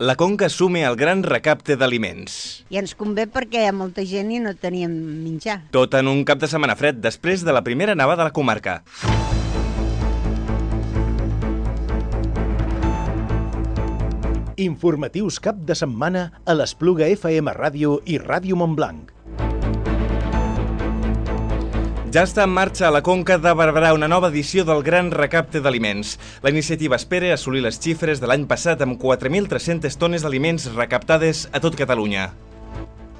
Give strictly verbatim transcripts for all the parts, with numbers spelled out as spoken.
La Conca assume el gran recapte d'aliments. I ens convé perquè hi ha molta gent i no teníem menjar. Tot en un cap de setmana fred, després de la primera nevada de la comarca. Informatius cap de setmana a l'Espluga F M Ràdio i Ràdio Montblanc. Ja està en marxa a la Conca de Barberà una nova edició del Gran Recapte d'Aliments. La iniciativa espera assolir les xifres de l'any passat amb quatre mil tres-centes tones d'aliments recaptades a tot Catalunya.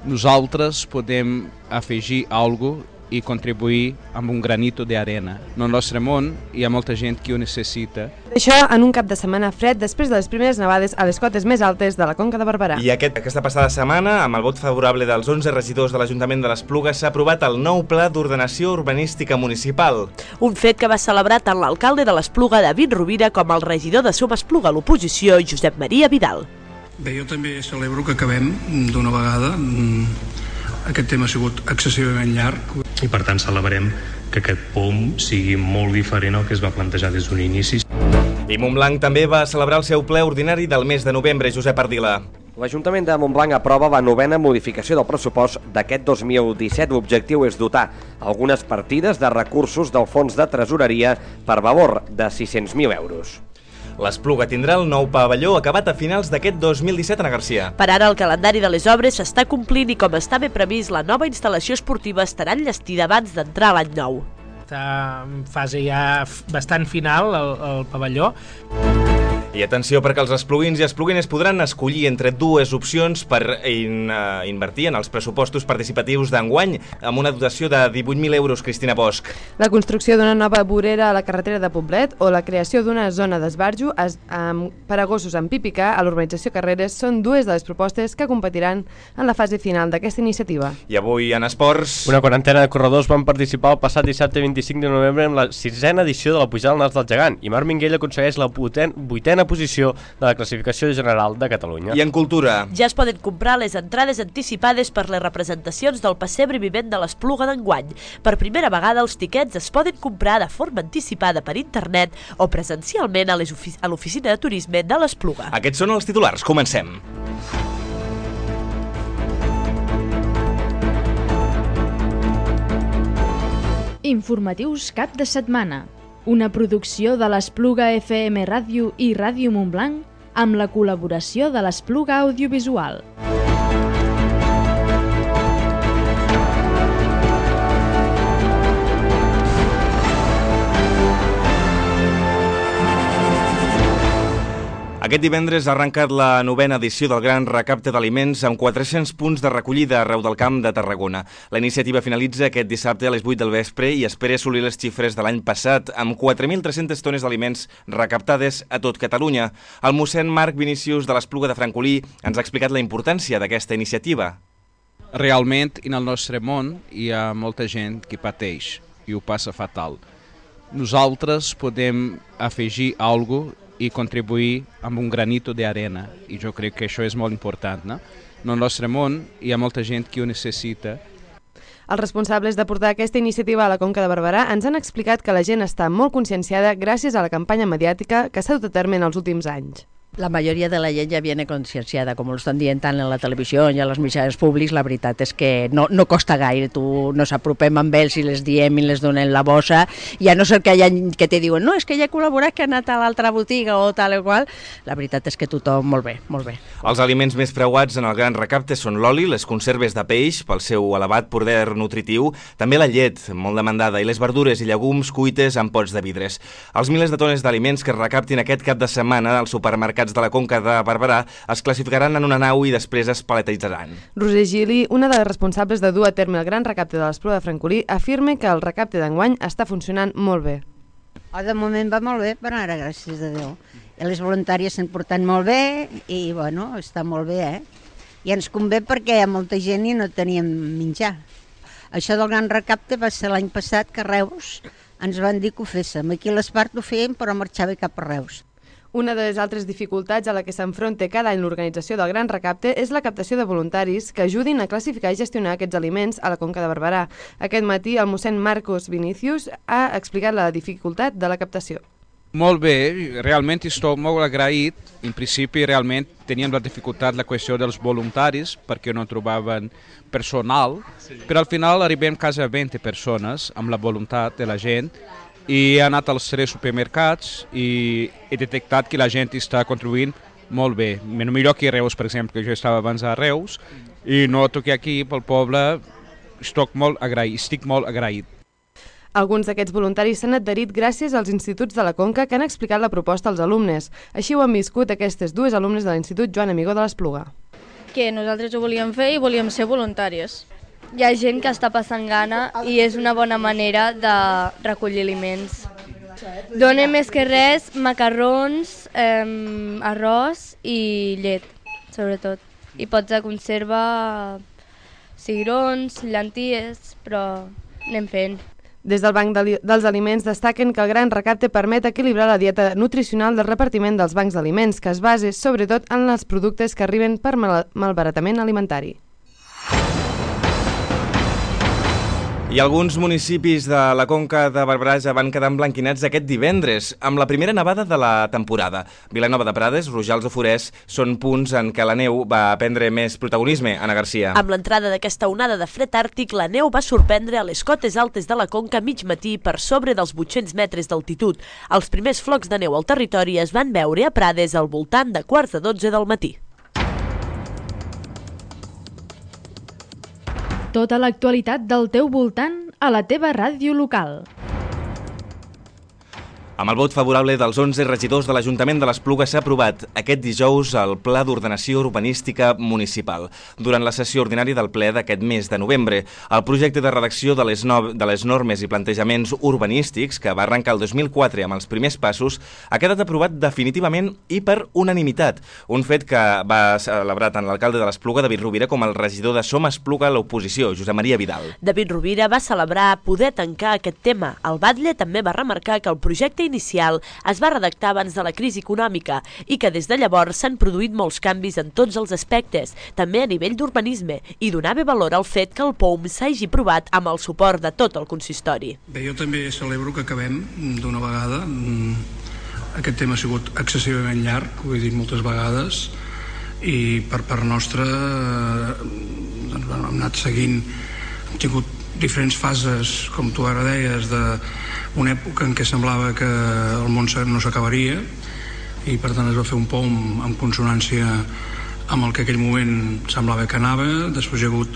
Nosaltres podem afegir alguna cosa i contribuir amb un granito d'arena. No el nostre món hi ha molta gent que ho necessita. Això en un cap de setmana fred després de les primeres nevades a les cotes més altes de la Conca de Barberà. I aquest, aquesta passada setmana, amb el vot favorable dels onze regidors de l'Ajuntament de l'Espluga, s'ha aprovat el nou Pla d'Ordenació Urbanística Municipal. Un fet que va celebrar tant l'alcalde de l'Espluga, David Rovira, com el regidor de Som Espluga a l'oposició, Josep Maria Vidal. Bé, jo també celebro que acabem d'una vegada. Aquest tema ha sigut excessivament llarg. I per tant celebrem que aquest P O M sigui molt diferent al que es va plantejar des d'un inici. I Montblanc també va celebrar el seu ple ordinari del mes de novembre. Josep Ardila. L'Ajuntament de Montblanc aprova la novena modificació del pressupost d'aquest dos mil disset. L'objectiu és dotar algunes partides de recursos del fons de tresoreria per valor de sis-cents mil euros. L'Espluga tindrà el nou pavelló acabat a finals d'aquest dos mil disset, Ana Garcia. Per ara el calendari de les obres s'està complint i com estava previst, la nova instal·lació esportiva estarà enllestida abans d'entrar a l'any nou. Està en fase ja bastant final el, el pavelló. I atenció perquè els espluguins i espluguines podran escollir entre dues opcions per in, uh, invertir en els pressupostos participatius d'enguany amb una dotació de divuit mil euros, Cristina Bosch. La construcció d'una nova vorera a la carretera de Poblet o la creació d'una zona d'esbarjo per a gossos amb pipicà a l'urbanització Carreres són dues de les propostes que competiran en la fase final d'aquesta iniciativa. I avui en esports... Una quarantena de corredors van participar el passat dissabte vint-i-cinc de novembre en la sisena edició de la Pujada al Nas del Gegant i Marc Minguell aconsegueix la vuitena posició de la classificació general de Catalunya. I en cultura? Ja es poden comprar les entrades anticipades per les representacions del pessebre vivent de l'Espluga d'enguany. Per primera vegada els tiquets es poden comprar de forma anticipada per internet o presencialment a l'oficina de turisme de l'Espluga. Aquests són els titulars. Comencem. Informatius cap de setmana. Una producció de l'Espluga F M Ràdio i Ràdio Montblanc amb la col·laboració de l'Espluga Audiovisual. Aquest divendres ha arrencat la novena edició del Gran Recapte d'Aliments amb quatre-cents punts de recollida arreu del Camp de Tarragona. La iniciativa finalitza aquest dissabte a les vuit del vespre i espera assolir les xifres de l'any passat amb quatre mil tres-centes tones d'aliments recaptades a tot Catalunya. El mossèn Marc Vinícius de l'Espluga de Francolí ens ha explicat la importància d'aquesta iniciativa. Realment, en el nostre món hi ha molta gent que pateix i ho passa fatal. Nosaltres podem afegir alguna cosa i contribuir amb un granito d'arena, i jo crec que això és molt important, no? En el nostre món hi ha molta gent que ho necessita. Els responsables de portar aquesta iniciativa a la Conca de Barberà ens han explicat que la gent està molt conscienciada gràcies a la campanya mediàtica que s'ha dut a terme en els últims anys. La majoria de la gent ja viene concienciada, com ho estan dient tant en la televisió i a les mitjans públics. La veritat és que no, no costa gaire, tu nos apropem amb ells i les diem i les donem la bossa, i a no ser que hi ha que te diuen no, és que ja he col·laborat, que ha anat a l'altra botiga o tal o qual. La veritat és que tothom molt bé, molt bé. Els aliments més preuats en el Gran Recapte són l'oli, les conserves de peix pel seu elevat poder nutritiu, també la llet, molt demandada, i les verdures i llegums cuites en pots de vidres. Els milers de tones d'aliments que es recaptin aquest cap de setmana als supermercats de la Conca de Barberà es classificaran en una nau i després es paletejaran. Roser Gili, una de les responsables de dur a terme el Gran Recapte de l'Espluga de Francolí, afirma que el recapte d'enguany està funcionant molt bé. Oh, de moment va molt bé, per ara, gràcies a Déu. I les voluntàries s'han portat molt bé i, bueno, està molt bé, eh? I ens convé perquè hi ha molta gent i no teníem menjar. Això del Gran Recapte va ser l'any passat que a Reus ens van dir que ho féssim. Aquí a l'Espart ho fèiem, però marxava cap a Reus. Una de les altres dificultats a la que s'enfronta cada any l'organització del Gran Recapte és la captació de voluntaris que ajudin a classificar i gestionar aquests aliments a la Conca de Barberà. Aquest matí el mossèn Marcos Vinícius ha explicat la dificultat de la captació. Molt bé, realment estic molt agraït. En principi, realment, teníem la dificultat la qüestió dels voluntaris perquè no trobaven personal, però al final arribem quasi a vint persones amb la voluntat de la gent i he anat als tres supermercats i he detectat que la gent està contribuint molt bé. Millor que Reus, per exemple, que jo estava abans a Reus i noto que aquí, pel poble, estic molt agraït. Estic molt agraït. Alguns d'aquests voluntaris s'han adherit gràcies als instituts de la Conca que han explicat la proposta als alumnes. Així ho han viscut aquestes dues alumnes de l'Institut Joan Amigó de l'Espluga. Que nosaltres ho volíem fer i volíem ser voluntaris. Hi ha gent que està passant gana i és una bona manera de recollir aliments. Dona més que res macarrons, eh, arròs i llet, sobretot. I pots de conserva cigrons, llenties, però anem fent. Des del Banc dels Aliments destaquen que el gran recapte permet equilibrar la dieta nutricional del repartiment dels bancs d'aliments, que es basa sobretot en els productes que arriben per mal malbaratament alimentari. I alguns municipis de la Conca de Barberà ja van quedar emblanquinats aquest divendres, amb la primera nevada de la temporada. Vilanova de Prades, Rojals o Forès són punts en què la neu va prendre més protagonisme. Anna Garcia. Amb l'entrada d'aquesta onada de fred àrtic, la neu va sorprendre a les cotes altes de la Conca mig matí per sobre dels vuit-cents metres d'altitud. Els primers flocs de neu al territori es van veure a Prades al voltant de quarts de dotze del matí. Tota l'actualitat del teu voltant a la teva ràdio local. Amb el vot favorable dels onze regidors de l'Ajuntament de l'Espluga s'ha aprovat aquest dijous el Pla d'Ordenació Urbanística Municipal. Durant la sessió ordinària del ple d'aquest mes de novembre, el projecte de redacció de les, no... de les normes i plantejaments urbanístics, que va arrencar el dos mil quatre amb els primers passos, ha quedat aprovat definitivament i per unanimitat. Un fet que va celebrar tant l'alcalde de l'Espluga, David Rovira, com el regidor de Som Espluga a l'oposició, Josep Maria Vidal. David Rovira va celebrar poder tancar aquest tema. El batlle també va remarcar que el projecte inicial es va redactar abans de la crisi econòmica i que des de llavors s'han produït molts canvis en tots els aspectes, també a nivell d'urbanisme, i donava valor al fet que el P O U M s'hagi aprovat amb el suport de tot el consistori. Bé, jo també celebro que acabem d'una vegada. Aquest tema ha sigut excessivament llarg, ho he dit moltes vegades, i per part nostra doncs, hem anat seguint, hem tingut diferents fases, com tu ara deies, de una època en què semblava que el món no s'acabaria i per tant es va fer un P O U M en consonància amb el que en aquell moment semblava que anava. Després hi ha hagut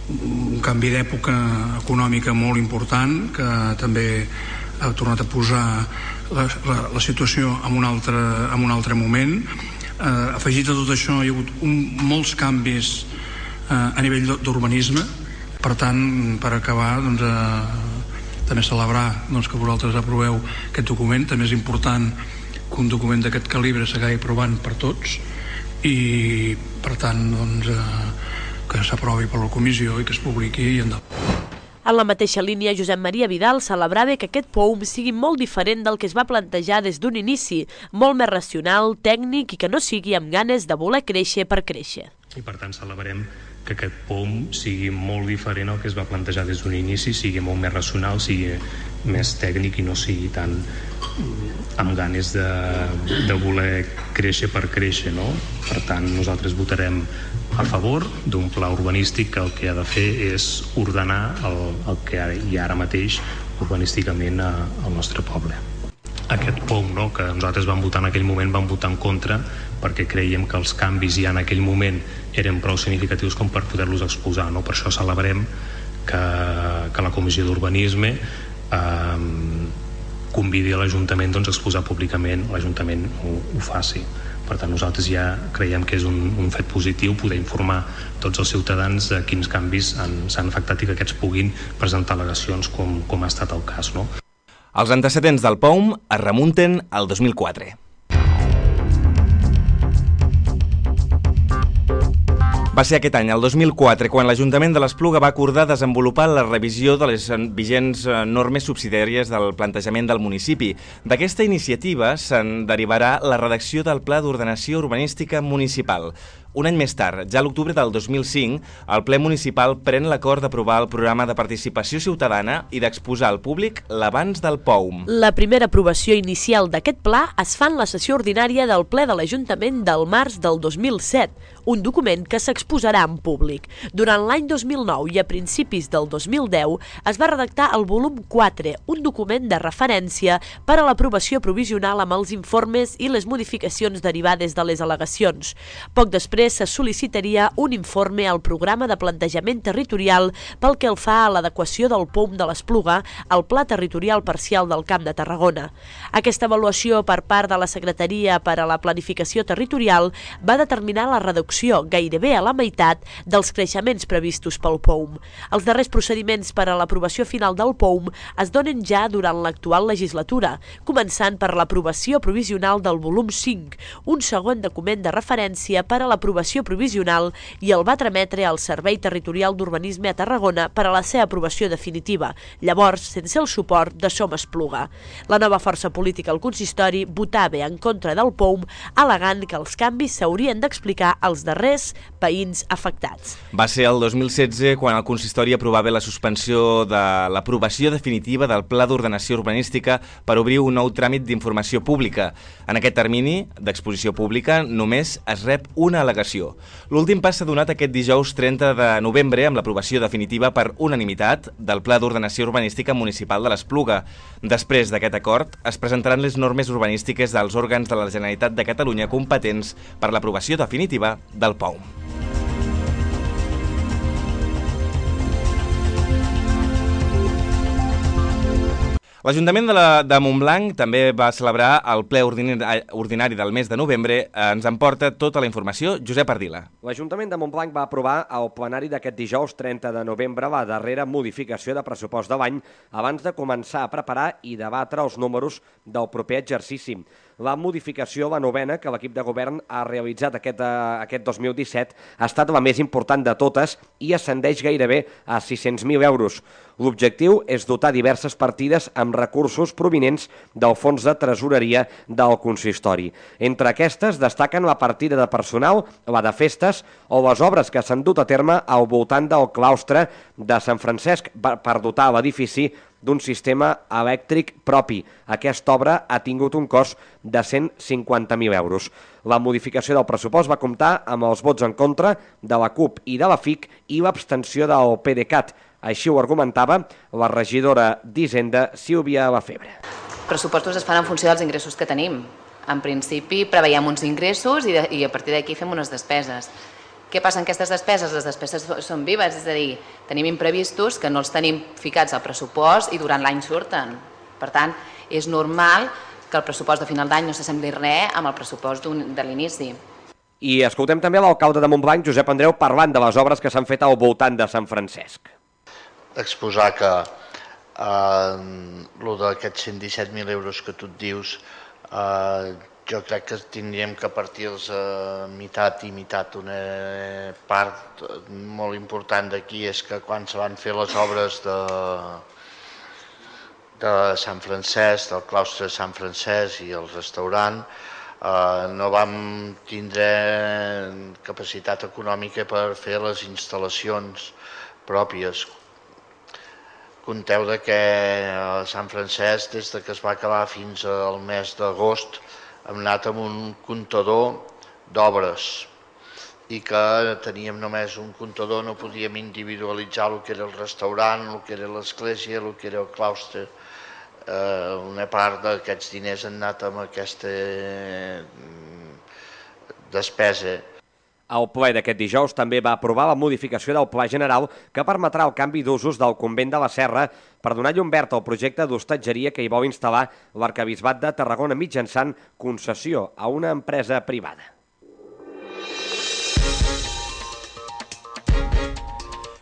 un canvi d'època econòmica molt important que també ha tornat a posar la, la, la situació en un altre, en un altre moment. Eh, afegit a tot això hi ha hagut un, molts canvis eh, a nivell d'urbanisme. Per tant, per acabar, doncs, eh, també celebrar doncs, que vosaltres aproveu aquest document. També és important que un document d'aquest calibre s'acabi aprovant per tots i, per tant, doncs, eh, que s'aprovi per la comissió i que es publiqui i endavant. En la mateixa línia, Josep Maria Vidal celebrava que aquest P O U M sigui molt diferent del que es va plantejar des d'un inici, molt més racional, tècnic i que no sigui amb ganes de voler créixer per créixer. I per tant celebrem que aquest P O U M sigui molt diferent al que es va plantejar des d'un inici, sigui molt més racional, sigui més tècnic i no sigui tan amb ganes de, de voler créixer per créixer, no? Per tant, nosaltres votarem a favor d'un pla urbanístic que el que ha de fer és ordenar el, el que hi ha ara mateix urbanísticament a, al nostre poble. Aquest P O U M, no, que nosaltres vam votar en aquell moment, vam votar en contra perquè creiem que els canvis ja en aquell moment eren prou significatius com per poder-los exposar, no? Per això celebrem que, que la Comissió d'Urbanisme eh, convidi a l'Ajuntament doncs, a exposar públicament, l'Ajuntament ho, ho faci. Per tant, nosaltres ja creiem que és un, un fet positiu poder informar tots els ciutadans de quins canvis s'han afectat i que aquests puguin presentar al·legacions com, com ha estat el cas, no? Els antecedents del P O U M es remunten al dos mil quatre. Va ser aquest any, el dos mil quatre, quan l'Ajuntament de l'Espluga va acordar desenvolupar la revisió de les vigents normes subsidiàries del plantejament del municipi. D'aquesta iniciativa se'n derivarà la redacció del Pla d'Ordenació Urbanística Municipal, Un any més tard, ja a l'octubre del dos mil cinc, el ple municipal pren l'acord d'aprovar el programa de participació ciutadana i d'exposar al públic l'abans del P O U M. La primera aprovació inicial d'aquest pla es fa en la sessió ordinària del ple de l'Ajuntament del març del dos mil set, un document que s'exposarà en públic. Durant l'any dos mil nou i a principis del dos mil deu es va redactar el volum quatre, un document de referència per a l'aprovació provisional amb els informes i les modificacions derivades de les al·legacions. Poc després se sol·licitaria un informe al programa de plantejament territorial pel que el fa a l'adequació del P O U M de l'Espluga al Pla Territorial Parcial del Camp de Tarragona. Aquesta avaluació per part de la Secretaria per a la Planificació Territorial va determinar la reducció gairebé a la meitat dels creixements previstos pel P O U M. Els darrers procediments per a l'aprovació final del P O U M es donen ja durant l'actual legislatura, començant per l'aprovació provisional del volum cinc, un segon document de referència per a l'aprovació provisional i el va trametre al Servei Territorial d'Urbanisme a Tarragona per a la seva aprovació definitiva, llavors sense el suport de Som Espluga. La nova força política al consistori votava en contra del P O U M, al·legant que els canvis s'haurien d'explicar als darrers veïns afectats. Va ser el dos mil setze quan el consistori aprovava la suspensió de l'aprovació definitiva del Pla d'Ordenació Urbanística per obrir un nou tràmit d'informació pública. En aquest termini d'exposició pública només es rep una al·legació. L'últim pas s'ha donat aquest dijous trenta de novembre amb l'aprovació definitiva per unanimitat del Pla d'Ordenació Urbanística Municipal de l'Espluga. Després d'aquest acord, es presentaran les normes urbanístiques dels òrgans de la Generalitat de Catalunya competents per l'aprovació definitiva del P O U M. L'Ajuntament de, la, de Montblanc també va celebrar el ple ordinari, ordinari del mes de novembre. Ens en porta tota la informació Josep Ardila. L'Ajuntament de Montblanc va aprovar al plenari d'aquest dijous trenta de novembre la darrera modificació de pressupost de l'any abans de començar a preparar i debatre els números del proper exercici. La modificació, la novena, que l'equip de govern ha realitzat aquest, uh, aquest dos mil disset, ha estat la més important de totes i ascendeix gairebé a sis-cents mil euros. L'objectiu és dotar diverses partides amb recursos provinents del fons de tresoreria del consistori. Entre aquestes destaquen la partida de personal, la de festes o les obres que s'han dut a terme al voltant del claustre de Sant Francesc per dotar l'edifici d'un sistema elèctric propi. Aquesta obra ha tingut un cost de cent cinquanta mil euros. La modificació del pressupost va comptar amb els vots en contra de la CUP i de la F I C i l'abstenció del PDeCAT. Així ho argumentava la regidora d'Hisenda, Sílvia Lafebre. Els pressupostos es fan en funció dels ingressos que tenim. En principi preveiem uns ingressos i, de, i a partir d'aquí fem unes despeses. Què passa amb aquestes despeses? Les despeses són vives, és a dir, tenim imprevistos que no els tenim ficats al pressupost i durant l'any surten. Per tant, és normal que el pressupost de final d'any no s'assembli res amb el pressupost de l'inici. I escoltem també l'alcalde de Montblanc, Josep Andreu, parlant de les obres que s'han fet al voltant de Sant Francesc. Exposar que eh, lo d'aquests cent disset mil euros que tu et dius, eh, jo crec que tindríem que partir-los a meitat i meitat. Una part molt important d'aquí és que quan se van fer les obres de, de Sant Francesc, del claustre de Sant Francesc i el restaurant, eh, no vam tindre capacitat econòmica per fer les instal·lacions pròpies. Compteu que a Sant Francesc, des que es va acabar fins al mes d'agost, hem anat amb un comptador d'obres i que teníem només un comptador, no podíem individualitzar el que era el restaurant, el que era l'església, el que era el claustre. Eh, una part d'aquests diners han anat amb aquesta despesa. El ple d'aquest dijous també va aprovar la modificació del Pla General que permetrà el canvi d'usos del convent de la Serra per donar llum verd al projecte d'hostatgeria que hi vol instal·lar l'Arquebisbat de Tarragona mitjançant concessió a una empresa privada.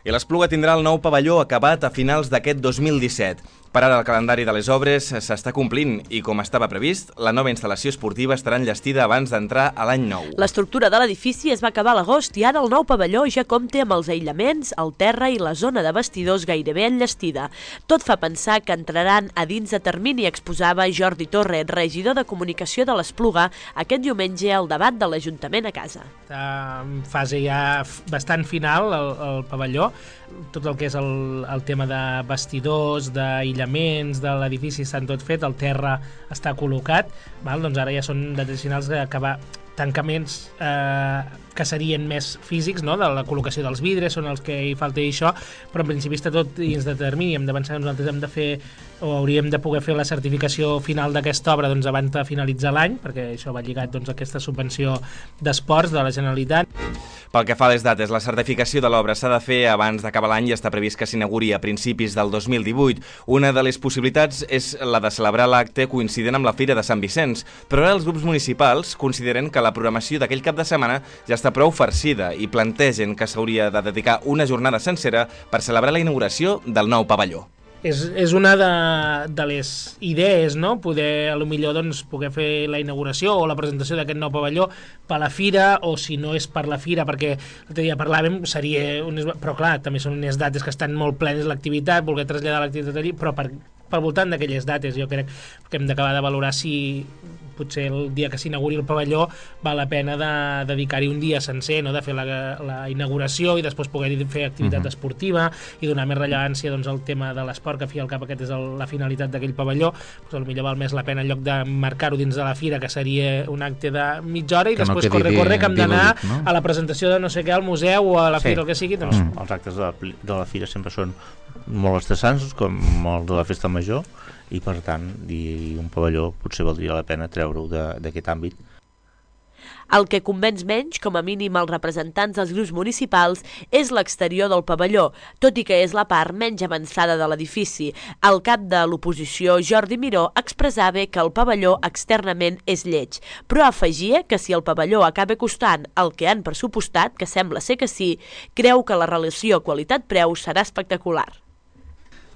I l'Espluga tindrà el nou pavelló acabat a finals d'aquest dos mil disset. Per ara el calendari de les obres s'està complint i, com estava previst, la nova instal·lació esportiva estarà enllestida abans d'entrar a l'any nou. L'estructura de l'edifici es va acabar a l'agost i ara el nou pavelló ja compta amb els aïllaments, el terra i la zona de vestidors gairebé enllestida. Tot fa pensar que entraran a dins de termini, exposava Jordi Torre, regidor de comunicació de l'Espluga, aquest diumenge al debat de l'Ajuntament a casa. Està en fase ja bastant final el, el pavelló. Tot el que és el, el tema de vestidors, d'aïllaments, de l'edifici estan tot fet, el terra està col·locat, val? Doncs ara ja són detalls finals d'acabar tancaments eh, que serien més físics, no? De la col·locació dels vidres, són els que hi falta i això, però en principi està tot dins de termini. Hem d'avançar, nosaltres hem de fer, o hauríem de poder fer la certificació final d'aquesta obra doncs, abans de finalitzar l'any, perquè això va lligat doncs, a aquesta subvenció d'esports de la Generalitat. Pel que fa a les dates, la certificació de l'obra s'ha de fer abans d'acabar l'any i està previst que s'inauguri a principis del dos mil divuit. Una de les possibilitats és la de celebrar l'acte coincident amb la Fira de Sant Vicenç, però ara els grups municipals consideren que la programació d'aquell cap de setmana ja està prou farcida i plantegen que s'hauria de dedicar una jornada sencera per celebrar la inauguració del nou pavelló. És, és una de, de les idees, no? Poder, a lo millor, doncs, poder fer la inauguració o la presentació d'aquest nou pavelló per la fira, o si no és per la fira, perquè l'altre dia parlàvem, seria unes, però clar, també són unes dates que estan molt plenes l'activitat, voler traslladar l'activitat allí, però per, per voltant d'aquelles dates jo crec que hem d'acabar de valorar si potser el dia que s'inauguri el pavelló val la pena de dedicar-hi un dia sencer, no? De fer la, la inauguració i després poder fer activitat uh-huh. esportiva i donar més rellevància doncs, al tema de l'esport, que a fi al cap aquest és el, la finalitat d'aquell pavelló, doncs potser val més la pena en lloc de marcar-ho dins de la fira, que seria un acte de mitja hora i que després no corre, corre, que hem d'anar no? a la presentació de no sé què al museu o a la sí. fira, el que sigui. Doncs... Mm. Els actes de la, de la fira sempre són molt estressants, com el de la festa major, i per tant i un pavelló potser valdria la pena treure-ho d'aquest àmbit. El que convenç menys, com a mínim els representants dels grups municipals, és l'exterior del pavelló, tot i que és la part menys avançada de l'edifici. El cap de l'oposició, Jordi Miró, expressava que el pavelló externament és lleig, però afegia que si el pavelló acaba costant el que han pressupostat, que sembla ser que sí, creu que la relació qualitat-preu serà espectacular.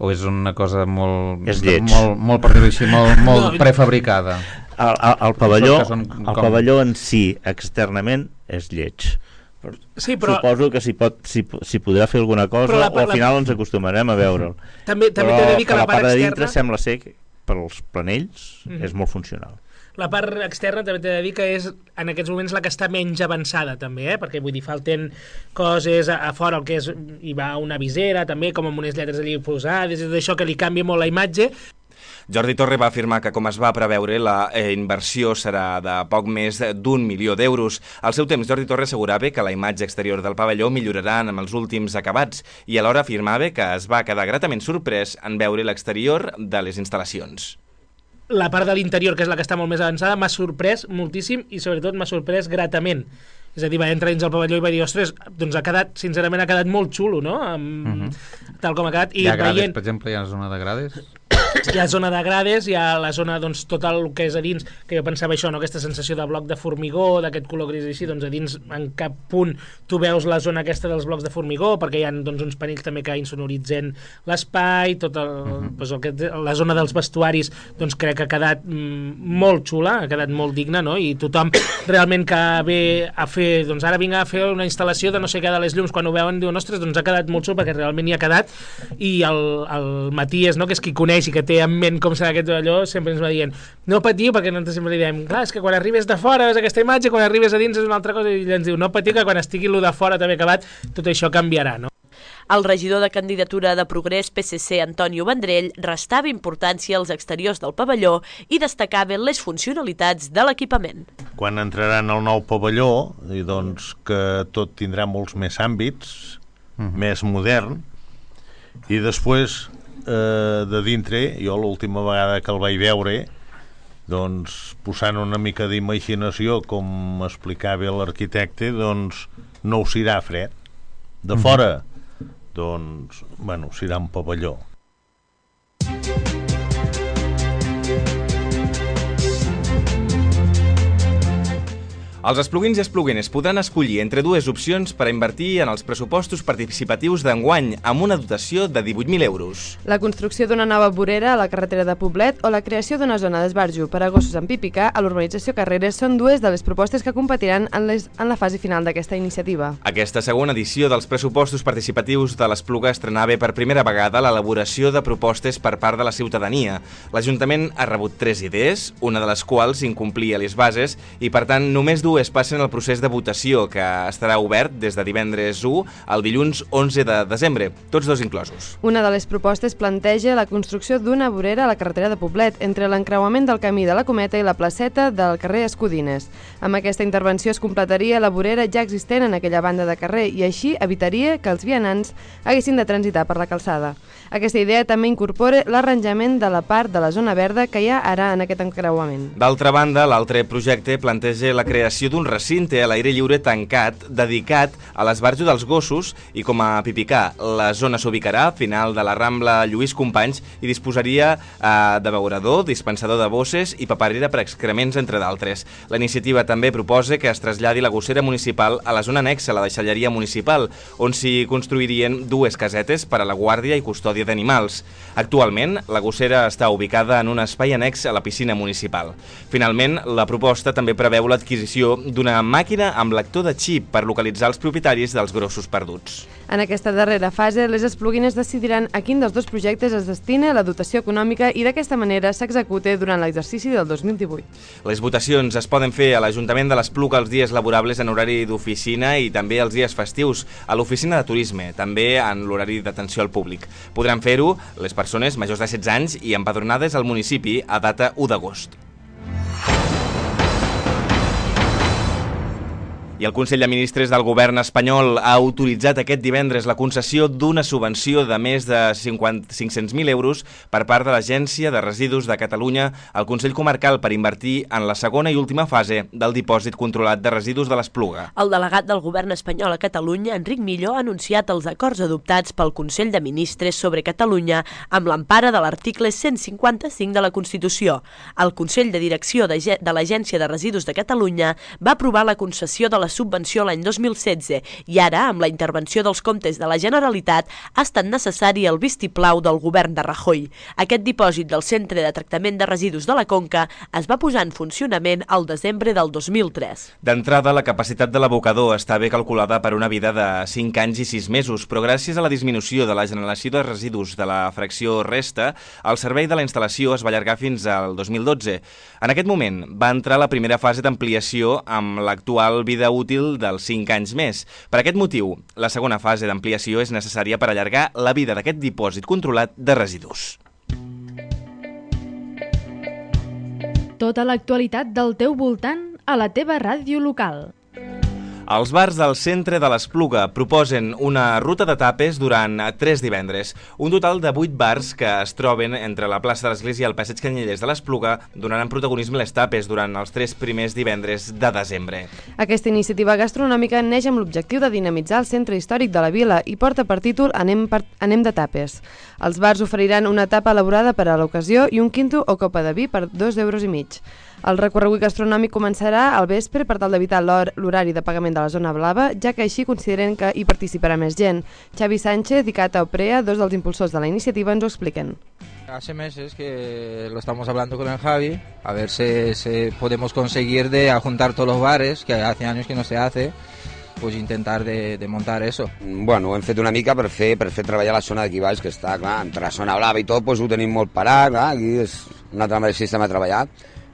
O és una cosa molt, és molt, molt, per dir-ho així, molt, molt prefabricada? El, el, el, pavelló, el com... pavelló en si, externament, és lleig. Sí, però... Suposo que s'hi pot, si, si podrà fer alguna cosa, la, o al final la... ens acostumarem a veure'l. També, també però t'he de dir que la, la part, part de dintre externa... sembla ser que pels planells mm-hmm. és molt funcional. La part externa també t'he de dir que és en aquests moments la que està menys avançada també, eh? Perquè vull dir, falten coses a, a fora, el que és, hi va una visera també, com amb unes lletres allí posades, és això que li canvia molt la imatge. Jordi Torre va afirmar que, com es va preveure, la eh, inversió serà de poc més d'un milió d'euros. Al seu temps, Jordi Torre assegurava que la imatge exterior del pavelló millorarà amb els últims acabats i alhora afirmava que es va quedar gratament sorprès en veure l'exterior de les instal·lacions. La part de l'interior, que és la que està molt més avançada, m'ha sorprès moltíssim i sobretot m'ha sorprès gratament. És a dir, va entrar dins el pavelló i va dir, ostres, doncs ha quedat, sincerament ha quedat molt xulo, no? Amb, uh-huh. Tal com ha quedat. I hi ha grades, veient... per exemple, hi ha zona de grades? Hi ha zona de grades, hi ha la zona, doncs, tot el que és a dins, que jo pensava això, no? Aquesta sensació de bloc de formigó, d'aquest color gris així, doncs a dins en cap punt tu veus la zona aquesta dels blocs de formigó, perquè hi ha doncs, uns panells també que insonoritzen l'espai, tot el, uh-huh. doncs, el que, la zona dels vestuaris, doncs crec que ha quedat mm, molt xula, ha quedat molt digna, no? I tothom realment que ve a fer, doncs ara vinc a fer una instal·lació de no sé què de les llums, quan ho veuen diuen, ostres, doncs ha quedat molt xul, perquè realment hi ha quedat, i el, el Matías, no? Que és qui coneix i que té en ment com serà aquest pavelló, sempre ens va dient no patiu, perquè nosaltres sempre li diem clar, és que quan arribes de fora veus aquesta imatge, quan arribes a dins és una altra cosa, i ell ens diu no patiu, que quan estigui lo de fora també acabat, tot això canviarà, no? El regidor de candidatura de Progrés P S C, Antonio Vendrell, restava importància als exteriors del pavelló i destacava les funcionalitats de l'equipament. Quan entraran al nou pavelló, doncs que tot tindrà molts més àmbits, uh-huh. més modern, i després eh, de dintre, jo l'última vegada que el vaig veure, doncs posant una mica d'imaginació, com explicava l'arquitecte, doncs no ho serà fred. De fora, doncs, bueno, serà un pavelló. Els espluguins i espluguines podran escollir entre dues opcions per a invertir en els pressupostos participatius d'enguany amb una dotació de divuit mil euros. La construcció d'una nova vorera a la carretera de Poblet o la creació d'una zona d'esbarjo per a gossos amb pipicà a l'urbanització Carreres són dues de les propostes que competiran en, les, en la fase final d'aquesta iniciativa. Aquesta segona edició dels pressupostos participatius de l'Espluga estrenava per primera vegada l'elaboració de propostes per part de la ciutadania. L'Ajuntament ha rebut tres idees, una de les quals incomplia les bases i, per tant, només dues passen el procés de votació, que estarà obert des de divendres u al dilluns onze de desembre, tots dos inclosos. Una de les propostes planteja la construcció d'una vorera a la carretera de Poblet, entre l'encreuament del camí de la Cometa i la placeta del carrer Escudines. Amb aquesta intervenció es completaria la vorera ja existent en aquella banda de carrer i així evitaria que els vianants haguessin de transitar per la calçada. Aquesta idea també incorpora l'arranjament de la part de la zona verda que hi ha ara en aquest encreuament. D'altra banda, l'altre projecte planteja la creació d'un recinte a l'aire lliure tancat dedicat a l'esbarjo dels gossos i com a pipicà. La zona s'ubicarà a final de la Rambla Lluís Companys i disposaria eh, de beurador, dispensador de bosses i paperera per excrements, entre d'altres. La iniciativa també proposa que es traslladi la gossera municipal a la zona anexa a la deixalleria municipal, on s'hi construirien dues casetes per a la guàrdia i custòdia d'animals. Actualment, la gossera està ubicada en un espai annex a la piscina municipal. Finalment, la proposta també preveu l'adquisició d'una màquina amb lector de xip per localitzar els propietaris dels grossos perduts. En aquesta darrera fase, les espluguines decidiran a quin dels dos projectes es destina la dotació econòmica i d'aquesta manera s'execute durant l'exercici del dos mil divuit. Les votacions es poden fer a l'Ajuntament de l'Espluga els dies laborables en horari d'oficina i també els dies festius, a l'oficina de turisme, també en l'horari d'atenció al públic. Podran fer-ho les persones majors de setze anys i empadronades al municipi a data u d'agost. I el Consell de Ministres del Govern espanyol ha autoritzat aquest divendres la concessió d'una subvenció de més de cinc-cents mil euros per part de l'Agència de Residus de Catalunya al Consell Comarcal per invertir en la segona i última fase del dipòsit controlat de residus de l'Espluga. El delegat del Govern espanyol a Catalunya, Enric Milló, ha anunciat els acords adoptats pel Consell de Ministres sobre Catalunya amb l'empara de l'article cent cinquanta-cinc de la Constitució. El Consell de Direcció de l'Agència de Residus de Catalunya va aprovar la concessió de la subvenció l'any dos mil setze i ara, amb la intervenció dels comptes de la Generalitat, ha estat necessari el vistiplau del govern de Rajoy. Aquest dipòsit del Centre de Tractament de Residus de la Conca es va posar en funcionament al desembre del dos mil tres. D'entrada, la capacitat de l'abocador està bé calculada per una vida de cinc anys i sis mesos, però gràcies a la disminució de la generació de residus de la fracció resta, el servei de la instal·lació es va allargar fins al dos mil dotze. En aquest moment va entrar la primera fase d'ampliació amb l'actual vida útil dels cinc anys més. Per aquest motiu, la segona fase d'ampliació és necessària per allargar la vida d'aquest dipòsit controlat de residus. Tota l'actualitat del teu voltant a la teva ràdio local. Els bars del centre de l'Espluga proposen una ruta de tapes durant tres divendres. Un total de vuit bars que es troben entre la plaça de l'Església i el passeig Canyelles de l'Espluga donaran protagonisme a les tapes durant els tres primers divendres de desembre. Aquesta iniciativa gastronòmica neix amb l'objectiu de dinamitzar el centre històric de la vila i porta per títol Anem, per... Anem de tapes. Els bars oferiran una tapa elaborada per a l'ocasió i un quinto o copa de vi per dos euros i mig. El recorregut gastronòmic començarà al vespre per tal d'evitar l'horari de pagament de la zona blava, ja que així consideren que hi participarà més gent. Xavi Sánchez i Cata Oprea, dos dels impulsors de la iniciativa, ens ho expliquen. Hace meses que lo estamos hablando con el Javi, a ver si, si podemos conseguir de juntar todos los bares, que hace años que no se hace, pues intentar de, de montar eso. Bueno, ho hem fet una mica per fer, per fer treballar la zona d'aquí baix, que està, clar, entre la zona blava i tot, pues ho tenim molt parat, clar, aquí és un altre sistema de treballar.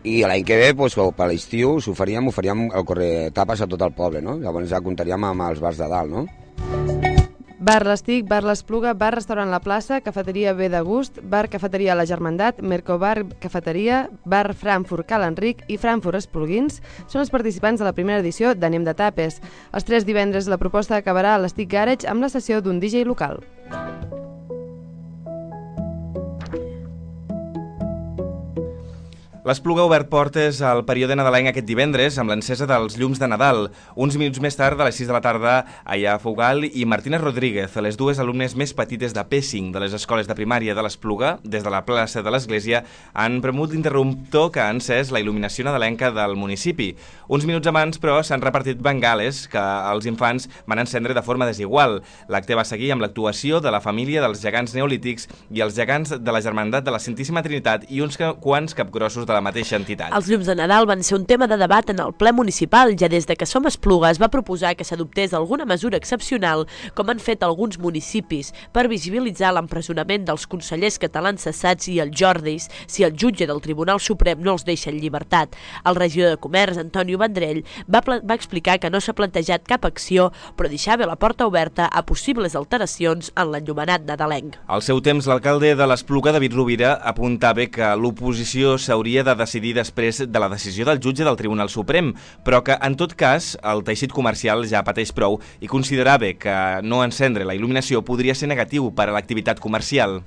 I l'any que ve, pues, per l'estiu, s'ho faríem, ho faríem el correr tapes a tot el poble, no? Llavors ja comptaríem amb els bars de dalt, no? Bar l'Estic, Bar l'Espluga, Bar Restaurant La Plaça, Cafeteria Bé de Gust, Bar Cafeteria La Germandat, Mercobar Cafeteria, Bar Frankfurt Cal Enric i Frankfurt Espluguins són els participants de la primera edició d'Anem de Tapes. Els tres divendres la proposta acabarà a l'Estic Garage amb la sessió d'un D J local. L'Espluga ha obert portes al període nadalenc aquest divendres amb l'encesa dels llums de Nadal. Uns minuts més tard, a les sis de la tarda, Aya Fugal i Martina Rodríguez, les dues alumnes més petites de P cinc de les escoles de primària de l'Espluga, des de la plaça de l'Església, han premut l'interruptor que ha encès la il·luminació nadalenca del municipi. Uns minuts abans, però, s'han repartit bengales que els infants van encendre de forma desigual. L'acte va seguir amb l'actuació de la família dels gegants neolítics i els gegants de la Germandat de la Santíssima Trinitat i uns quants capgrossos de la mateixa entitat. Els llums de Nadal van ser un tema de debat en el ple municipal. Ja des de que som Espluga es va proposar que s'adoptés alguna mesura excepcional, com han fet alguns municipis, per visibilitzar l'empresonament dels consellers catalans cessats i els Jordis si el jutge del Tribunal Suprem no els deixa en llibertat. El regidor de Comerç, Antonio Vendrell, va, va explicar que no s'ha plantejat cap acció, però deixava la porta oberta a possibles alteracions en l'enllumenat nadalenc. Al seu temps, l'alcalde de l'Espluga, David Rovira, apuntava que l'oposició s'hauria de decidir després de la decisió del jutge del Tribunal Suprem, però que, en tot cas, el teixit comercial ja pateix prou i considerava que no encendre la il·luminació podria ser negatiu per a l'activitat comercial.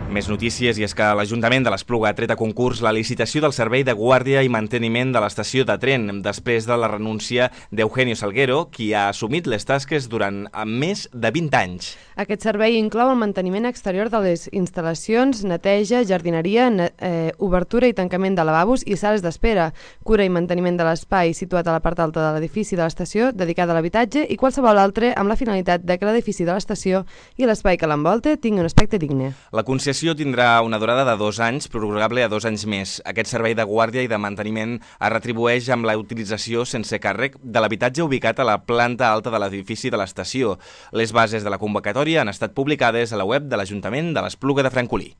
Més notícies, i és que l'Ajuntament de l'Espluga ha tret a concurs la licitació del servei de guàrdia i manteniment de l'estació de tren, després de la renúncia d'Eugenio Salguero, qui ha assumit les tasques durant més de vint anys. Aquest servei inclou el manteniment exterior de les instal·lacions, neteja, jardineria, eh, obertura i tancament de lavabos i sales d'espera, cura i manteniment de l'espai situat a la part alta de l'edifici de l'estació dedicat a l'habitatge i qualsevol altre amb la finalitat de que l'edifici de l'estació i l'espai que l'envolta tingui un aspecte digne. La concessió tindrà una durada de dos anys, prorrogable a dos anys més. Aquest servei de guàrdia i de manteniment es retribueix amb la utilització sense càrrec de l'habitatge ubicat a la planta alta de l'edifici de l'estació. Les bases de la convocatòria han estat publicades a la web de l'Ajuntament de l'Espluga de Francolí.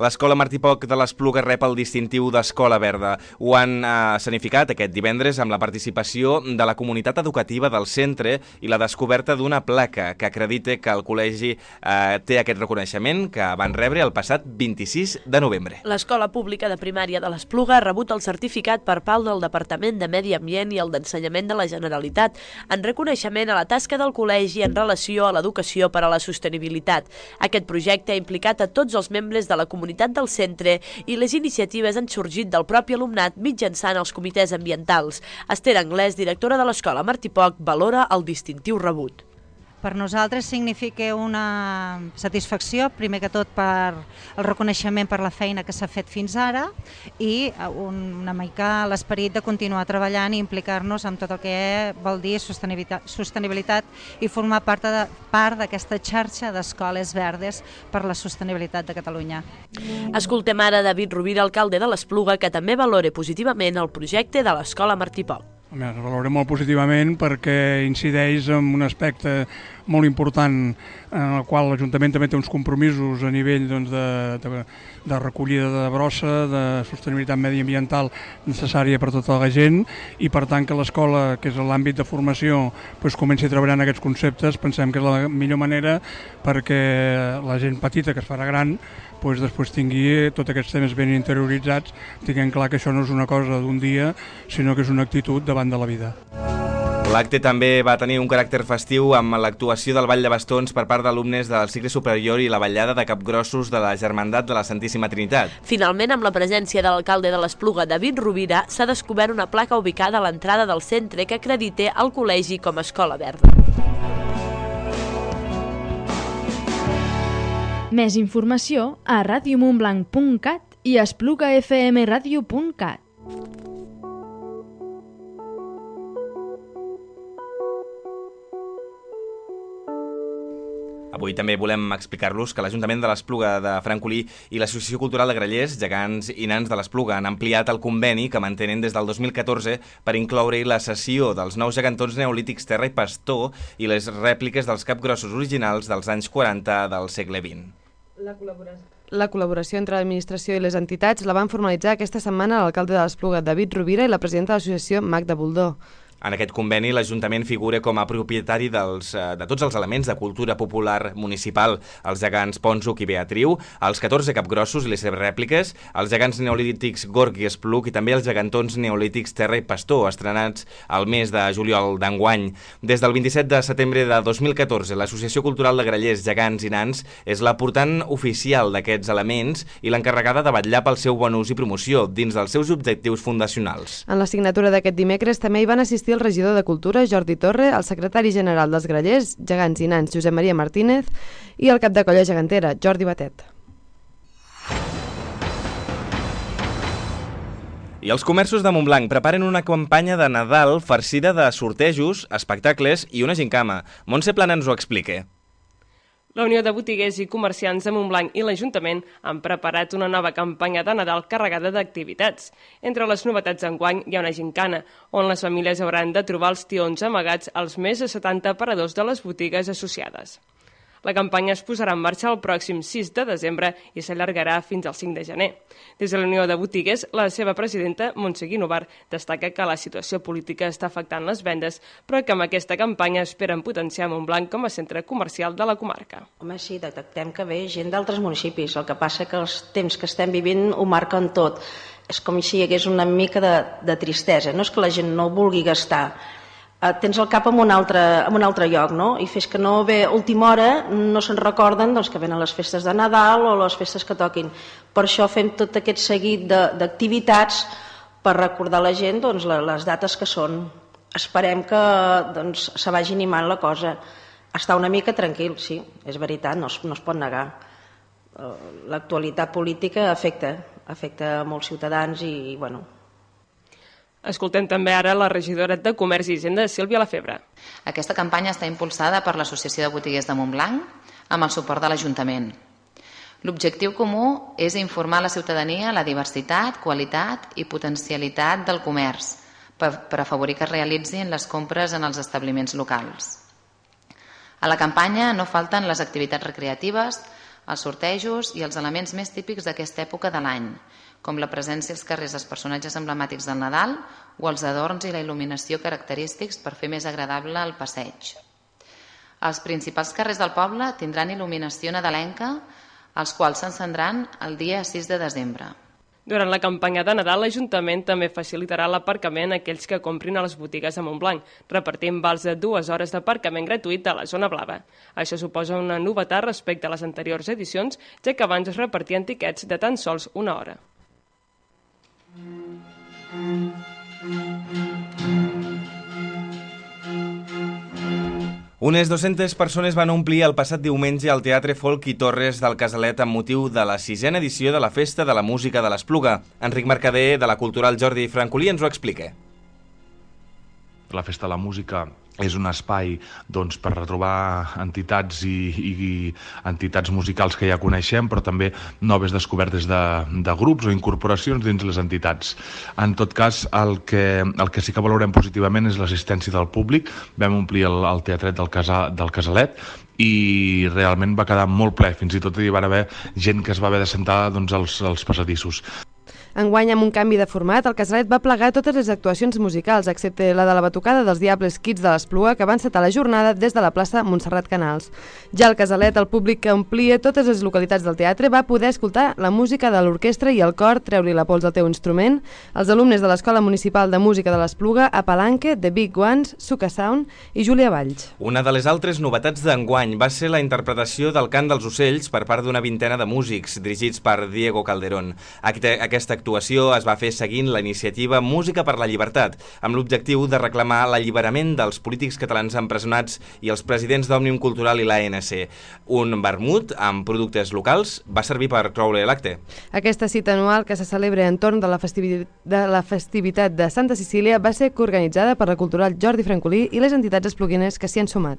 L'Escola Martí Poch de l'Espluga rep el distintiu d'Escola Verda. Ho han eh, escenificat aquest divendres amb la participació de la comunitat educativa del centre i la descoberta d'una placa que acredita que el col·legi eh, té aquest reconeixement que van rebre el passat vint-i-sis de novembre. L'Escola Pública de Primària de l'Espluga ha rebut el certificat per part del Departament de Medi Ambient i el d'Ensenyament de la Generalitat en reconeixement a la tasca del col·legi en relació a l'educació per a la sostenibilitat. Aquest projecte ha implicat a tots els membres de la comunitat del centre i les iniciatives han sorgit del propi alumnat mitjançant els comitès ambientals. Esther Anglès, directora de l'Escola Martí Poch, valora el distintiu rebut. Per nosaltres significa una satisfacció, primer que tot per el reconeixement per la feina que s'ha fet fins ara i una mica l'esperit de continuar treballant i implicar-nos en tot el que vol dir sostenibilitat, sostenibilitat i formar part de, part d'aquesta xarxa d'escoles verdes per la sostenibilitat de Catalunya. Escoltem ara David Rovira, alcalde de l'Espluga, que també valora positivament el projecte de l'Escola Martí Poch. Es valora molt positivament perquè incideix en un aspecte molt important en el qual l'Ajuntament també té uns compromisos a nivell doncs, de, de, de recollida de brossa, de sostenibilitat mediambiental necessària per tota la gent i per tant que l'escola, que és l'àmbit de formació, doncs, comenci a treballar en aquests conceptes. Pensem que és la millor manera perquè la gent petita que es farà gran doncs després tingui tots aquests temes ben interioritzats, tinguem clar que això no és una cosa d'un dia, sinó que és una actitud davant de la vida. L'acte també va tenir un caràcter festiu amb l'actuació del Ball de Bastons per part d'alumnes del cicle superior i la ballada de capgrossos de la Germandat de la Santíssima Trinitat. Finalment, amb la presència de l'alcalde de l'Espluga, David Rovira, s'ha descobert una placa ubicada a l'entrada del centre que acredita el col·legi com a escola verda. Més informació a radio montblanc punt cat i espluga f m radio punt cat. Avui també volem explicar-los que l'Ajuntament de l'Espluga de Francolí i l'Associació Cultural de Grallers, Gegants i Nans de l'Espluga han ampliat el conveni que mantenen des del dos mil catorze per incloure-hi la cessió dels nous gegantons neolítics Terra i Pastor i les rèpliques dels capgrossos originals dels anys quaranta del segle vint. La col·laboració. La col·laboració entre l'administració i les entitats la van formalitzar aquesta setmana l'alcalde de l'Espluga, David Rovira, i la presidenta de l'associació, Magda Buldó. En aquest conveni, l'Ajuntament figura com a propietari dels, de tots els elements de cultura popular municipal, els gegants Ponzuc i Beatriu, els catorze capgrossos i les seves rèpliques, els gegants neolítics Gorg i Espluc i també els gegantons neolítics Terra i Pastor, estrenats al mes de juliol d'enguany. Des del vint-i-set de setembre de dos mil catorze, l'Associació Cultural de Grallers, Gegants i Nans és la portant oficial d'aquests elements i l'encarregada de vetllar pel seu bon ús i promoció dins dels seus objectius fundacionals. En la signatura d'aquest dimecres també hi van assistir el regidor de Cultura, Jordi Torre, el secretari general dels Grallers, Gegants i Nans, Josep Maria Martínez, i el cap de colla gegantera, Jordi Batet. I els comerços de Montblanc preparen una campanya de Nadal farcida de sortejos, espectacles i una gincama. Montse Plana ens ho explica. La Unió de Botiguers i Comerciants de Montblanc i l'Ajuntament han preparat una nova campanya de Nadal carregada d'activitats. Entre les novetats d'enguany hi ha una gincana, on les famílies hauran de trobar els tions amagats als més de setanta aparadors de les botigues associades. La campanya es posarà en marxa el pròxim sis de desembre i s'allargarà fins al cinc de gener. Des de la Unió de Botiguers, la seva presidenta, Montse Guinovar, destaca que la situació política està afectant les vendes, però que amb aquesta campanya esperen potenciar Montblanc com a centre comercial de la comarca. Home, sí, detectem que ve gent d'altres municipis. El que passa que els temps que estem vivint ho marquen tot. És com si hi hagués una mica de, de tristesa. No és que la gent no vulgui gastar, tens el cap en un altre, en un altre lloc, no? I fes que no ve a última hora, no se'n recorden doncs, que venen les festes de Nadal o les festes que toquin. Per això fem tot aquest seguit d'activitats per recordar a la gent doncs, les dates que són. Esperem que doncs, se vagi animant la cosa. Està una mica tranquil, sí, és veritat, no es, no es pot negar. L'actualitat política afecta, afecta molts ciutadans i, bueno... Escoltem també ara la regidora de Comerç i Hisenda, Sílvia Lafebre. Aquesta campanya està impulsada per l'Associació de Botiguers de Montblanc amb el suport de l'Ajuntament. L'objectiu comú és informar la ciutadania la diversitat, qualitat i potencialitat del comerç per, per afavorir que es realitzin les compres en els establiments locals. A la campanya no falten les activitats recreatives, els sortejos i els elements més típics d'aquesta època de l'any, com la presència als carrers dels personatges emblemàtics del Nadal o els adorns i la il·luminació característics per fer més agradable el passeig. Els principals carrers del poble tindran il·luminació nadalenca, els quals s'encendran el dia sis de desembre. Durant la campanya de Nadal, l'Ajuntament també facilitarà l'aparcament a aquells que comprin a les botigues de Montblanc, repartint vals de dues hores d'aparcament gratuït a la zona blava. Això suposa una novetat respecte a les anteriors edicions, ja que abans es repartien tiquets de tan sols una hora. Unes dues-centes persones van omplir el passat diumenge al Teatre Folk i Torres del Casalet amb motiu de la sisena edició de la Festa de la Música de l'Espluga. Enric Mercader, de la Cultural Jordi Francolí, ens ho explica. La Festa de la Música és un espai doncs, per retrobar entitats i, i entitats musicals que ja coneixem, però també noves descobertes de, de grups o incorporacions dins les entitats. En tot cas, el que, el que sí que valorem positivament és l'assistència del públic. Vam omplir el, el teatret del, casa, del Casalet i realment va quedar molt ple. Fins i tot hi va haver gent que es va haver de sentar doncs, als, als passadissos. Enguany, amb un canvi de format, el Casalet va plegar totes les actuacions musicals, excepte la de la batucada dels Diables Kids de l'Espluga, que van encetar la jornada des de la plaça Montserrat Canals. Ja al Casalet, el públic que omplia totes les localitats del teatre va poder escoltar la música de l'orquestra i el cor Treu-li la pols al teu instrument, els alumnes de l'Escola Municipal de Música de l'Espluga, a Palanque, The Big Ones, Suca Sound i Júlia Valls. Una de les altres novetats d'enguany va ser la interpretació del Cant dels Ocells per part d'una vintena de músics, dirigits per Diego Calderón. Aquesta actuació es va fer seguint la iniciativa Música per la Llibertat, amb l'objectiu de reclamar l'alliberament dels polítics catalans empresonats i els presidents d'Òmnium Cultural i l'A N C. Un vermut amb productes locals va servir per cloure l'acte. Aquesta cita anual que se celebra entorn de la, festivi de la festivitat de Santa Cecília va ser coorganitzada per la Cultural Jordi Francolí i les entitats espluguines que s'hi han sumat.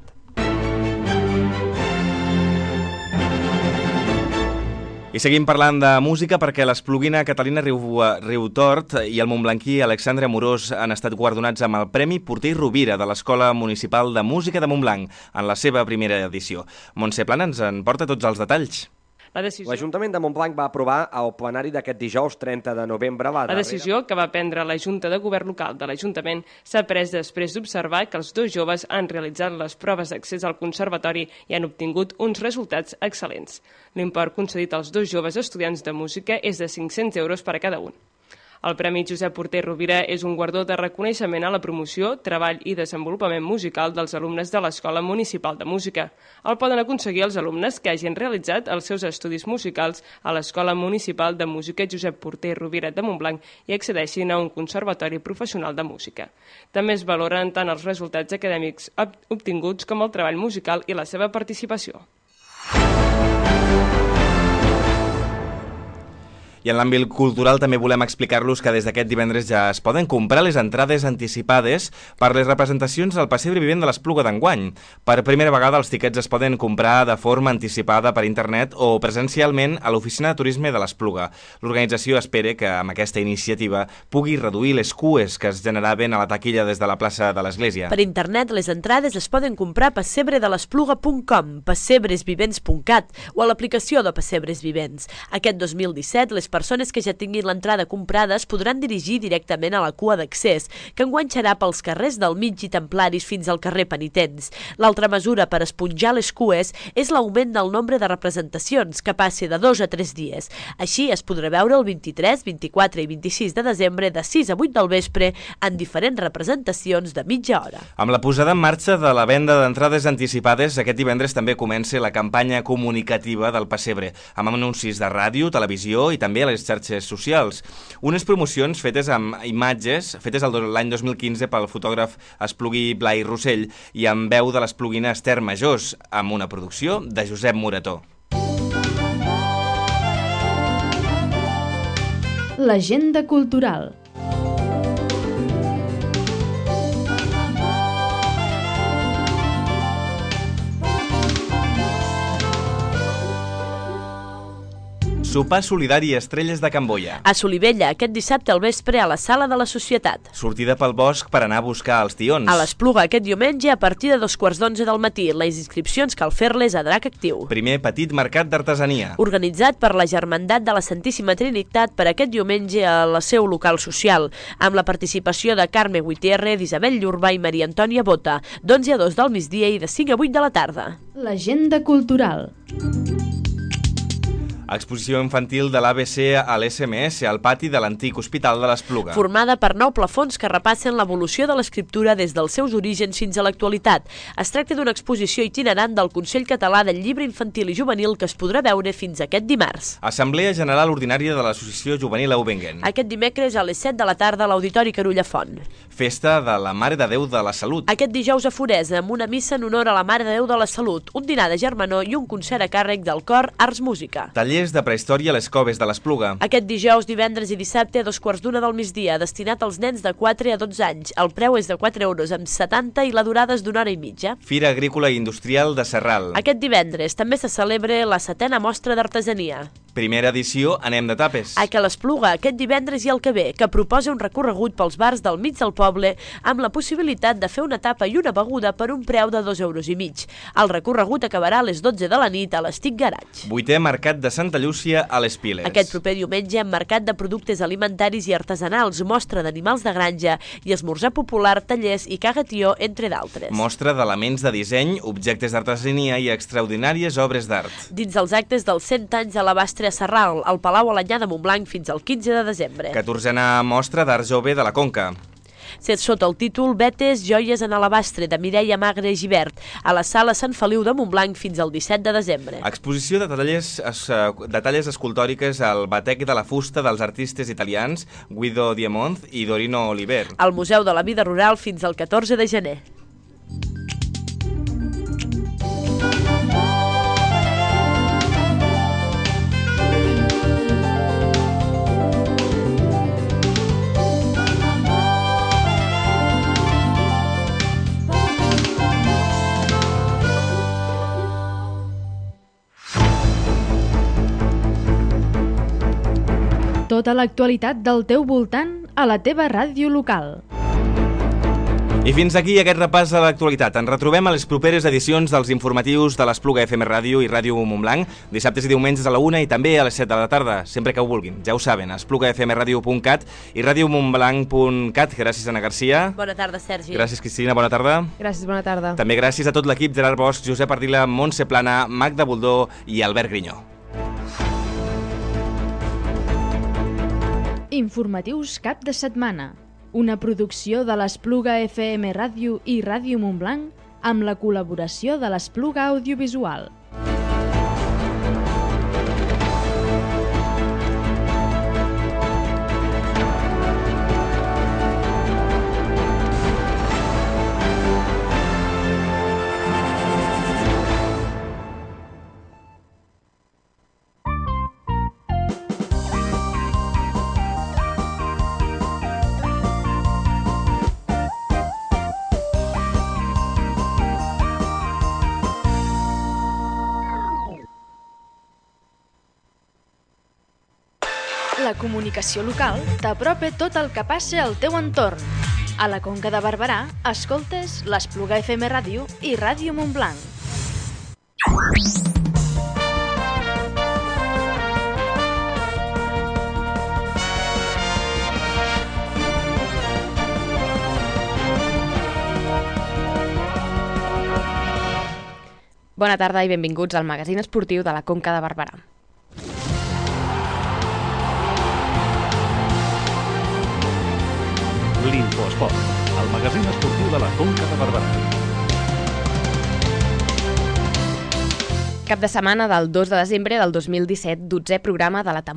I seguim parlant de música perquè l'espluguina Catalina Riu, Riutort i el montblanquí Alexandre Amorós han estat guardonats amb el Premi Porter Rovira de l'Escola Municipal de Música de Montblanc en la seva primera edició. Montse Plana ens en porta tots els detalls. La decisió... L'Ajuntament de Montblanc va aprovar al plenari d'aquest dijous trenta de novembre la, la decisió que va prendre la Junta de Govern Local de l'Ajuntament s'ha pres després d'observar que els dos joves han realitzat les proves d'accés al conservatori i han obtingut uns resultats excel·lents. L'import concedit als dos joves estudiants de música és de cinc-cents euros per a cada un. El Premi Josep Porter Rovira és un guardó de reconeixement a la promoció, treball i desenvolupament musical dels alumnes de l'Escola Municipal de Música. El poden aconseguir els alumnes que hagin realitzat els seus estudis musicals a l'Escola Municipal de Música Josep Porter Rovira de Montblanc i accedeixin a un conservatori professional de música. També es valoren tant els resultats acadèmics obtinguts com el treball musical i la seva participació. I en l'àmbit cultural també volem explicar-los que des d'aquest divendres ja es poden comprar les entrades anticipades per les representacions del Pessebre Vivent de l'Espluga d'enguany. Per primera vegada els tiquets es poden comprar de forma anticipada per internet o presencialment a l'Oficina de Turisme de l'Espluga. L'organització espera que amb aquesta iniciativa pugui reduir les cues que es generaven a la taquilla des de la plaça de l'Església. Per internet les entrades es poden comprar a pessebre de l'espluga punt com, pessebres vivents punt cat o a l'aplicació de Pessebres Vivents. Aquest dos mil disset les persones que ja tinguin l'entrada comprada es podran dirigir directament a la cua d'accés, que enguanxarà pels carrers del Mig i Templaris fins al carrer Penitents. L'altra mesura per esponjar les cues és l'augment del nombre de representacions, que passi de dos a tres dies. Així es podrà veure el vint-i-tres, vint-i-quatre i vint-i-sis de desembre de sis a vuit del vespre en diferents representacions de mitja hora. Amb la posada en marxa de la venda d'entrades anticipades, aquest divendres també comença la campanya comunicativa del Pessebre, amb anuncis de ràdio, televisió i també a les xarxes socials. Unes promocions fetes amb imatges, fetes l'any dos mil quinze pel fotògraf esplugui Blai Rossell i amb veu de l'espluguina Esther Majós, amb una producció de Josep Morató. L'agenda cultural. Sopar solidari Estrelles de Can Boia. A Solivella, aquest dissabte al vespre a la Sala de la Societat. Sortida pel bosc per anar a buscar els tions. A l'Espluga aquest diumenge a partir de dos quarts d'onze del matí. Les inscripcions cal fer-les a Drac Actiu. Primer petit mercat d'artesania. Organitzat per la Germandat de la Santíssima Trinitat per aquest diumenge a la seu local social, amb la participació de Carme Gutiérrez, Isabel Llurba i Maria Antònia Bota, d'onze a dos del migdia i de cinc a vuit de la tarda. L'agenda cultural. Exposició infantil de l'A B C a l'S M S al pati de l'antic Hospital de l'Espluga. Formada per nou plafons que repassen l'evolució de l'escriptura des dels seus orígens fins a l'actualitat. Es tracta d'una exposició itinerant del Consell Català del Llibre Infantil i Juvenil que es podrà veure fins aquest dimarts. Assemblea General Ordinària de l'Associació Juvenil Aubengen. Aquest dimecres a les set de la tarda a l'Auditori Carulla Font. Festa de la Mare de Déu de la Salut. Aquest dijous a Foresa, amb una missa en honor a la Mare de Déu de la Salut, un dinar de germanor i un concert a càrrec del cor Arts Música. Tallers de prehistòria a les coves de l'Espluga. Aquest dijous, divendres i dissabte a dos quarts d'una del migdia, destinat als nens de quatre a dotze anys. El preu és de quatre euros amb setanta i la durada és d'una hora i mitja. Fira Agrícola i Industrial de Serral. Aquest divendres també se celebra la setena mostra d'artesania. Primera edició Anem de tapes. A Ca l'Espluga, aquest divendres i el que ve, que proposa un recorregut pels bars del mig del poble amb la possibilitat de fer una tapa i una beguda per un preu de dos euros i mig. El recorregut acabarà a les dotze de la nit a l'Estic Garage. Vuitè Mercat de Santa Llúcia a les Piles. Aquest proper diumenge, mercat de productes alimentaris i artesanals, mostra d'animals de granja i esmorzar popular, tallers i cagatió, entre d'altres. Mostra d'elements de disseny, objectes d'artesania i extraordinàries obres d'art. Dins els actes dels cent anys de l'Abastre a Serral, al Palau Alanyà de Montblanc fins al quinze de desembre. catorzena mostra d'art jove de la Conca. Sota el títol Vetes, joies en alabastre, de Mireia Magre i Givert, a la sala Sant Feliu de Montblanc fins al disset de desembre. Exposició de tallers, de talles escultòriques al Batec de la Fusta dels artistes italians Guido Diamond i Dorino Oliver. Al Museu de la Vida Rural fins al catorze de gener. Tota l'actualitat del teu voltant a la teva ràdio local. I fins aquí aquest repàs a l'actualitat. Ens retrobem a les properes edicions dels informatius de l'Espluga F M Ràdio i Ràdio Montblanc, dissabtes i diumenges a la una i també a les set de la tarda, sempre que ho vulguin. Ja ho saben, a espluga f m radio punt cat i radio montblanc punt cat. Gràcies, Anna Garcia. Bona tarda, Sergi. Gràcies, Cristina. Bona tarda. Gràcies, bona tarda. També gràcies a tot l'equip, Gerard Bosch, Josep Ardila, Montse Plana, Magda Boldó i Albert Grinyó. Informatius cap de setmana. Una producció de l'Espluga F M Ràdio i Ràdio Montblanc amb la col·laboració de l'Espluga Audiovisual. La comunicació local t'apropa tot el que passa al teu entorn. A la Conca de Barberà, escoltes l'Espluga F M Ràdio i Ràdio Montblanc. Bona tarda i benvinguts al magazín esportiu de la Conca de Barberà. L'Infoesport, el magazín esportiu de la Conca de Barberà. Cap de setmana del dos de desembre del dos mil disset, dotzè programa de la temporada.